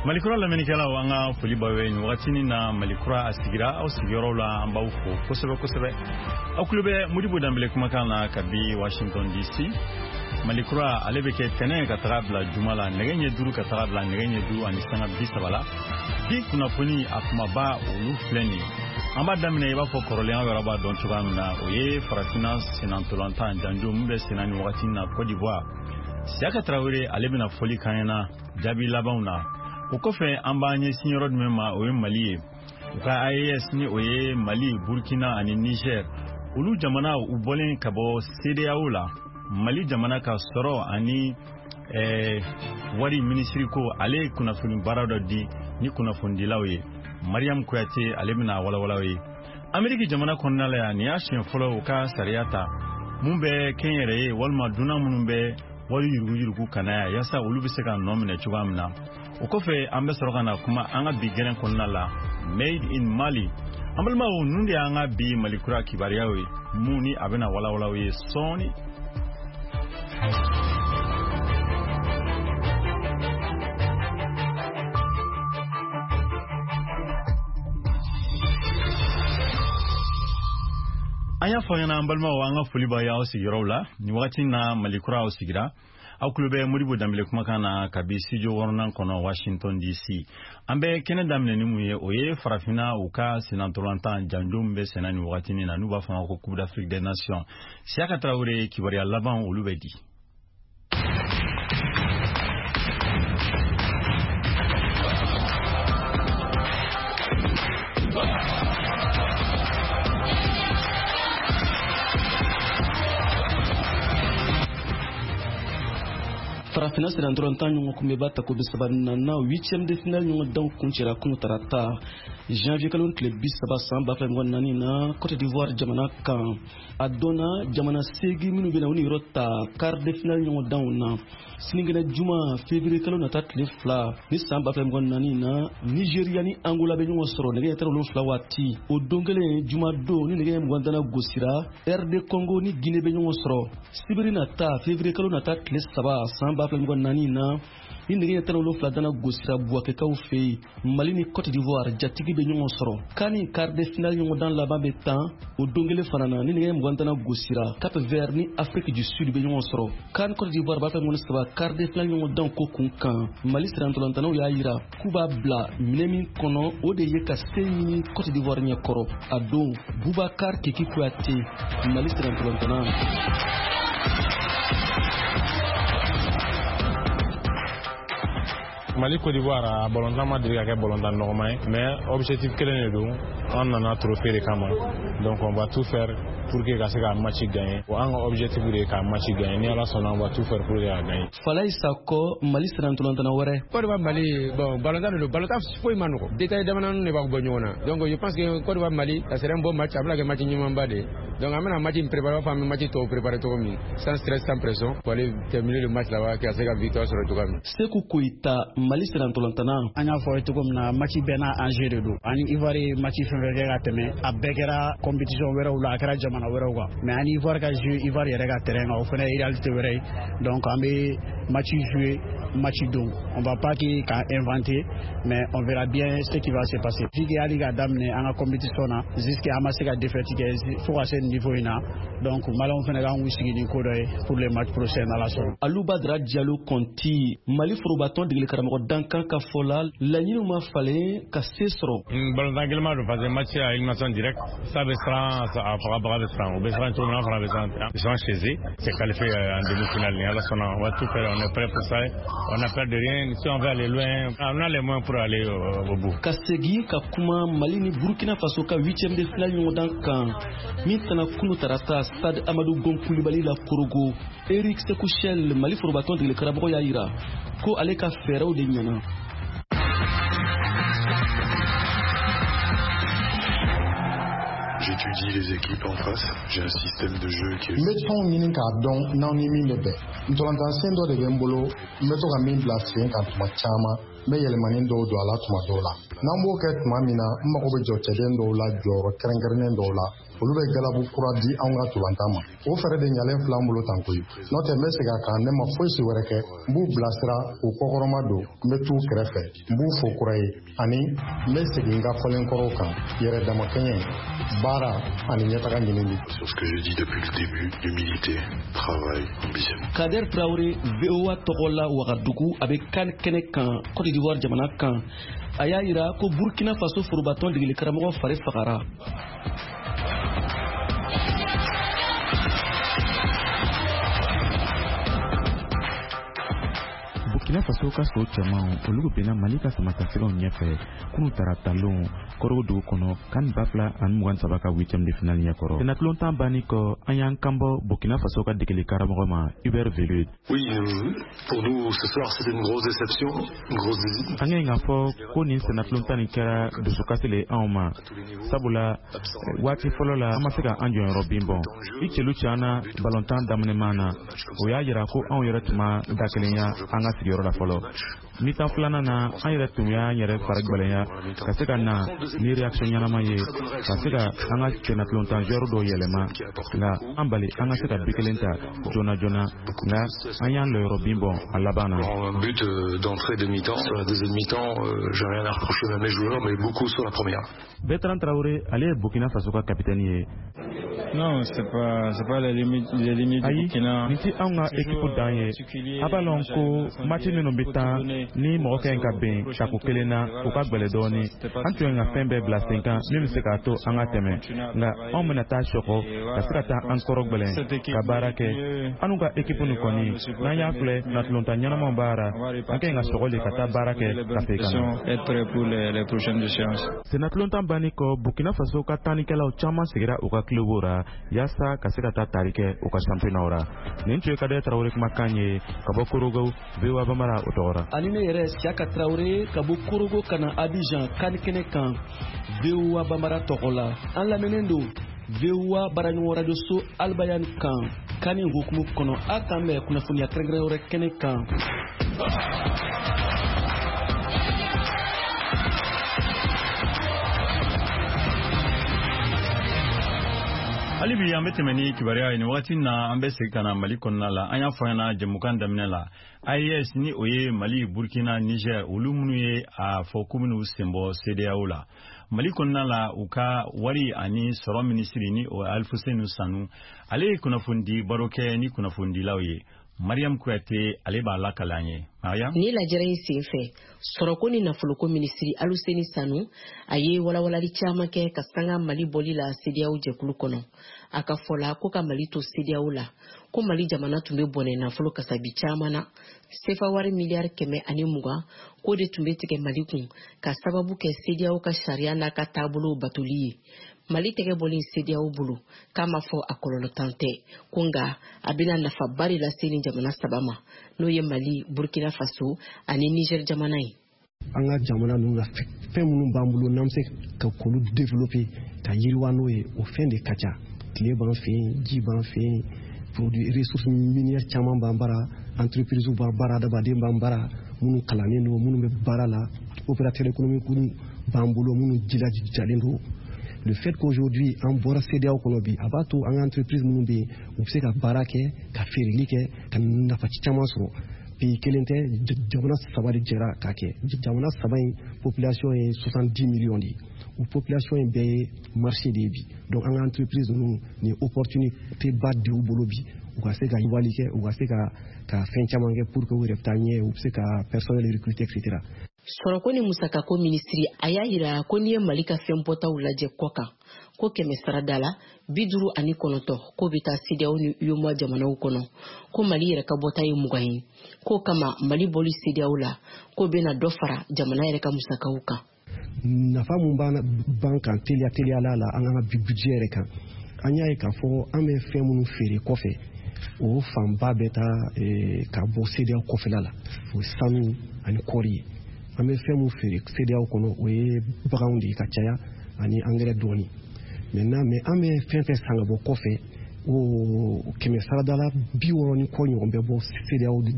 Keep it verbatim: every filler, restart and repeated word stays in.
Malikura lamɛnnikɛlaw, an ka foli b'aw ye nin wagatinin na. Malikura a sigira aw sigiyɔrɔw la, an b'aw fo kosɛbɛ kosɛbɛ. Aw tulo bɛ Modibo Danbele kumakan na kabi Washington D C. Malikura ale bɛ kɛ tɛnɛ ka taga bila juma la, nɛgɛ ɲɛ duuru ka taga bila nɛgɛ ɲɛ duuru ani sanga bi saba la. Bi kunnafoni a kumaba, olu filɛ nin ye. An b'a daminɛ, i b'a fɔ kɔrɔlen, aw yɛrɛ b'a dɔn cogoya min na, o ye farafinna sennantolatan janjo min bɛ senna nin wagati na Côte d'Ivoire. Siyaka Tarawele, ale bɛna fɔli k'an ɲɛna jaabi labanw na. O kɔfɛ, an b'an ɲɛsin yɔrɔ jumɛn ma? O ye Mali ye. U ka A E S, ni o ye Mali, Burkina ani Niger, olu jamana u bɔlen ka bɔ CEDEAO la, Mali jamana ka sɔrɔ ani eh, wari minisiri ko ale ye kunnafoni baara dɔ di ni kunnafonidilaw ye. Mariam Kuyate, ale bɛna walawalaw ye. Ameriki jamana kɔnɔna la yan, nin y'a siɲɛ fɔlɔ u ka sariya ta mun bɛ kɛnyɛrɛye walima dunan minnu bɛ wari yuruguyurugu ka na yan, yaasa olu bɛ se ka nɔ minɛ cogoya min na. O kɔfɛ, an bɛ sɔrɔ ka na kuma an ka bi gɛrɛn kɔnɔna la, Made in Mali. An balimaw, ninnu de y'an ka bi Malikura kibaruyaw ye, mun ni a bɛna walawalaw ye sɔɔni. An y'a fɔ ɲɛna, an balimaw, an ka foli b'a y'aw sigiyɔrɔw la nin wagati na. Malikura aw sigira, aw tulo bɛ Modibo Danbele kumakan na kabi studio wɔɔrɔnan kɔnɔ, Washington D C. An bɛ kɛnɛ daminɛ ni mun ye? O ye farafinna u ka sennantolatan janjo min bɛ senna nin wagatinin na, n'u b'a fɔ a ma ko Coupe d'Afrique des Nations. Siyaka Tarawele, kibaruya laban olu bɛ di. Farafinna sennantolatan ɲɔgɔn kunbɛba tako bi saba nana, huitième de finale ɲɔgɔn kuncɛra kunu tarata, janvier kalo tile bi saba san ba fila mugan naani na, Cote d'Ivoire jamana kan. A dɔnna jamana seegin minnu bɛna u niyɔrɔ ta quart de finale ɲɔgɔndanw na. Sinikɛnɛ juma, février kalo nata tile fila ni san ba fila mugan naani na, Nigeria ni Angola bɛ ɲɔgɔn sɔrɔ nɛgɛ ɲɛ tan wolonfila waati. O don kelen, juma don, ni nɛgɛ ɲɛ mugan dana gosira, R D Congo ni Guinée bɛ ɲɔgɔn sɔrɔ. Sibiri nata, février kalo nata tile saba san ba fila mugan naani na, ni nɛgɛ ɲɛ tan wolonfila dana gosira Buwakɛkaw fɛ yen, Mali ni Cote d'Ivoire jatigi bɛ ɲɔgɔn sɔrɔ. CAN quart de finale ɲɔgɔndan laban bɛ tan o don kelen fana na, ni nɛgɛ mugan dana gosira, Cap Vert ni Afrique du Sud bɛ ɲɔgɔn sɔrɔ. CAN Cote d'Ivoire b'a fɛ mugan saba quart de finale ɲɔgɔndan ko kun kan, Mali sirantolantanaw y'a yira k'u b'a bila minɛ min kɔnɔ, o de ye ka se ɲini Cote d'Ivoire ɲɛkɔrɔ a don. Bubakar Kiki Kuyate, Mali sirantolantana. Mali Côte d'Ivoire, a balontan ma deli ka kɛ balontan nɔgɔman ye, mais objectif kelen de don, an nana trophée de kama. Donc on va tout faire pour que ka se ka match gagner. An ka objectif de ye ka match gagner. Ni Ala sɔnna, on va tout faire pour que ka gagner. Falaye Sakɔ, Mali sirantolantana wɛrɛ. Côte d'Ivoire Mali, bon, balontan de don, balontan foyi ma nɔgɔ, détail damadɔni de b'a bɔ ɲɔgɔn na. Donc je pense que Côte d'Ivoire Mali, ça serait un bon match, a bɛna kɛ match ɲumanba de ye. Donc an bɛna match in préparer, b'a fɔ an bɛ match tɔw préparer cogo min, sans stress, sans pression, pour aller terminer le match là-bas, ka se ka victoire sɔrɔ cogoya min. Seku Koyita, Mali sirantolantana. An y'a fɔ cogo min na, match bɛɛ n'a enjeu de don. Ani Ivoire ye match fɛn fɛn kɛ ka tɛmɛ, a bɛɛ kɛra compétition wɛrɛw la, a kɛra jamana wɛrɛw kan, mais ani Ivoire ka jouer Ivoire yɛrɛ ka terrain kan, o fana ye réalité wɛrɛ ye. Donc an bɛ match jouer match don, on va pas k'a inventer, mais on verra bien ce qui va se passer. Vu que hali k'a daminɛ an ka compétition na jusqu'à an ma se ka défaite kɛ fo ka se niveau in na, donc maliyɛnw fana kan k'u sigi ni ko dɔ ye pour le match prochain, n'Ala sɔnna. Aluba Dra Jalo Kɔnti, Mali forobatɔn degeli karamɔgɔ dankan ka fɔ la, laɲiniw ma falen ka se sɔrɔ. Balontan gɛlɛman don parce que match à élimination directe, ça bɛ siran, a fagabaga bɛ siran, u bɛ siran cogo min na, an fana bɛ siran. Ils sont chez eux, c'est qualifié en demi-finale. Ni Ala sɔnna, on va tout faire, on est prêt pour ça, on n'a peur de rien. Si on veut aller loin, on a les moyens pour aller au, au bout. Ka segin ka kuma Mali ni Burkina Faso ka huitième de finale ɲɔgɔndan kan min tana kunu tarata stade Amadu Gon Kulibali la Korogo, Eric Sekou Chelle, Mali forobatɔn degeli karamɔgɔ y'a yira ko ale ka fɛɛrɛw de ɲɛna. J'étudie les équipes en face. J'ai un système de jeu qui est. N bɛ tɔnw ɲini k'a dɔn n'aw ni min bɛ bɛn. Ntolantan dɔ de bɛ n bolo, n bɛ to ka min bila sen kan tuma caman. N bɛ yɛlɛmani dɔw don a la tuma dɔw la. N'an b'o kɛ tuma min na, n mago bɛ jɔ cɛden dɔw la jɔyɔrɔ kɛrɛnkɛrɛnnen dɔw la, olu bɛ galabu kura di anw ka ntolantan ma. O fɛɛrɛ de ɲalen filɛ an bolo tan koyi. N'o tɛ n bɛ segin a kan, ne ma fosi wɛrɛ kɛ, n b'u bilasira k'u kɔkɔrɔma don, n bɛ t'u kɛrɛfɛ, n b'u fo kura ye, ani n bɛ segin n ka fɔlen kɔrɔw kan, yɛrɛ damakɛɲɛ, baara ani ɲɛtaga ɲinini. Sur ce que j'ai dit depuis le début, humilité, travail, ambition. Kader Traoré, V O A tɔgɔ la Wagadugu, a bɛ CAN kɛnɛ kan Côte d'Ivoire jamana kan. A y'a yira ko Burkina Faso forobatɔn degeli karamɔgɔ fari fagara. Burkina Faso ka so cɛmanw olu benna Mali ka samatasɛgɛw ɲɛfɛ kunu taratalon Korogo dugu kɔnɔ kan ba fila ani mugan saba ka huitième de finale ɲɛkɔrɔ. Senatulon banni kɔ, an y'an kanbɔ Burkina Faso ka degeli karamɔgɔ ma Hubert Velud. Oui, pour nous ce soir c'était une grosse déception, une grosse. An ye k'a fɔ ko nin senatulon nin kɛra dusukasi le anw ma, sabula waati fɔlɔ la an ma se ka an jɔyɔrɔ bin bɔn. I celu cana balontan daminɛman na, o y'a yira ko anw yɛrɛ tun ma da kelenya an ka sigiyɔrɔ la fɔlɔ. Mi-temps filanan na, an yɛrɛ tun y'an yɛrɛ fari gwɛlɛya ka se ka na ni réaction ɲɛnama ye, ka se ka an ka senatulontan joueur dɔw yɛlɛma, nka an bali an ka se ka bi kelen ta joona joona, nka an y'an lɔyɔrɔ bin bɔn a laban na. Un but d'entrée de mi-temps. Sur la deuxième mi-temps, j'ai rien à reprocher à mes joueurs, mais beaucoup sur la première. Bertrand Traoré, ale ye Burkina Faso ka capitaine ye. Non, c'est pas c'est pas les limites les limites du Burkina. Nin ti anw ka équipe dan ye. A b'a lɔn ko match minnu bɛ tan ni mɔgɔ ka ɲi ka bɛn tako kelen na, o ka gwɛlɛ dɔɔni. An tun ye ka fɛn bɛɛ bila sen kan min bɛ se k'a to an ka tɛmɛ, nka anw bɛna taa sɔkɔ ka se ka taa an kɔrɔ gwɛlɛn ka baara kɛ. Anw ka équipe nin kɔni, n'an y'a filɛ natulontan ɲɛnamaw b'a ra, an ka ɲi ka sɔgɔ le ka taa baara kɛ ka segin ka na. Senatulontan banni kɔ, Burkina Faso ka tannikɛlaw caman sigira u ka club ra yaasa ka se ka taa tari kɛ u ka championnat ra. Nin tun ye Kader Traoré kumakan ye ka bɔ Korogo, V O A Bambara o tɔgɔ ra. Ani ne yɛrɛ Siaka Traoré ka bɔ Korogo ka na Abidjan CAN kɛnɛ kan V O A Bambara tɔgɔ la. An lamɛnnen don V O A baaraɲɔgɔn radio so Albayan kan CAN hukumu kɔnɔ. A k'an bɛn kunnafoniya kɛrɛnkɛrɛn wɛrɛ kɛnɛ kan. Hali bi an bɛ tɛmɛ ni kibaruya ye nin wagati na, an bɛ segin ka na Mali kɔnɔna la. An y'a fɔ ɲɛna jɛmukan daminɛ la, A E S ni o ye Mali, Burkina, Niger, olu minnu ye a fɔ k'u bɛn'u sen bɔ CEDEAO la. Mali kɔnɔna la, u ka wari ani sɔrɔ minisiri ni o ye Alifuseni Sanu, ale ye kunnafonidi baro kɛ ni kunnafonidilaw ye. Mariam Kuyate ale b'a lakale an ye. Mariam, ni lajɛrɛ in sen fɛ, sɔrɔko ni nafoloko minisiri Aluseni Sanu a ye walawalali caman kɛ ka sanga Mali bɔli la CEDEAO jɛkulu kɔnɔ. A ka fɔ la ko ka Mali to CEDEAO la, ko Mali jamana tun bɛ bɔnɛ nafolo kasabi caman na, sefa wari miliyari kɛmɛ ani mugan k'o de tun bɛ tigɛ Mali kun ka sababu kɛ CEDEAO ka sariya n'a ka taabolow batoli ye. Mali tɛgɛ bɔlen CEDEAO bolo k'a ma fɔ a kɔlɔlɔ tan tɛ, ko nka a bɛna nafaba de lase nin jamana saba ma, n'o ye Mali, Burkina Faso ani Niger jamana ye. An ka jamana ninnu na, fɛn minnu b'an bolo n'an bɛ se ka k'olu développer ka yiriwa n'o ye, o fɛn de ka ca. Tile b'an fɛ yen, ji b'an fɛ yen, produits ressources minières caman b'an bara, entreprise b'an bara, adamaden b'an bara, minnu kalannen don, minnu bɛ baara la, opérateur économique b'an bolo, minnu jilajalen don. Le fait qu'aujourd'hui an bɔra CEDEAO kɔnɔ bi, a b'a to an ka entreprise minnu bɛ yen, u bɛ se ka baara kɛ, ka feereli kɛ, ka nafa caman sɔrɔ. Pays kelen tɛ, jamana saba de jɛra k'a kɛ. Jamana saba in population ye soixante-dix millions de ye. O population in bɛɛ ye marché de ye bi. Donc an ka entreprise ninnu nin opportunité ba de y'u bolo bi, u ka se ka yiriwali kɛ, u ka se ka ka fɛn caman kɛ pour que u yɛrɛ bɛ taa ɲɛ, u bɛ se ka personnel recruter et cetera. Sɔrɔko ni musakako minisiri a y'a yira ko n'i ye Mali ka fɛn bɔtaw lajɛ kɔ kan, ko kɛmɛ sarada la bi duuru ani kɔnɔntɔn k'o bɛ taa CEDEAO ni UEMOA jamanaw kɔnɔ, ko Mali yɛrɛ ka bɔta ye mugan ye, k'o kama Mali bɔli CEDEAO la k'o bɛna dɔ fara jamana yɛrɛ ka musakaw kan. Nafa mun b'an kan teliya teliyala la an ka budget yɛrɛ kan, an y'a ye k'a fɔ an bɛ fɛn minnu feere kɔfɛ, o fanba bɛ taa ka bɔ CEDEAO kɔfɛla la, o ye sanu ani kɔɔri ye. An bɛ fɛn mun feere CEDEAO kɔnɔ, o ye baganw de ye ka caya ani angɛrɛ dɔɔni. Maintenant, mais an bɛ fɛn fɛn san ka bɔ kɔfɛ, o kɛmɛ sarada la bi wɔɔrɔ ni kɔ ɲɔgɔn bɛ bɔ CEDEAO de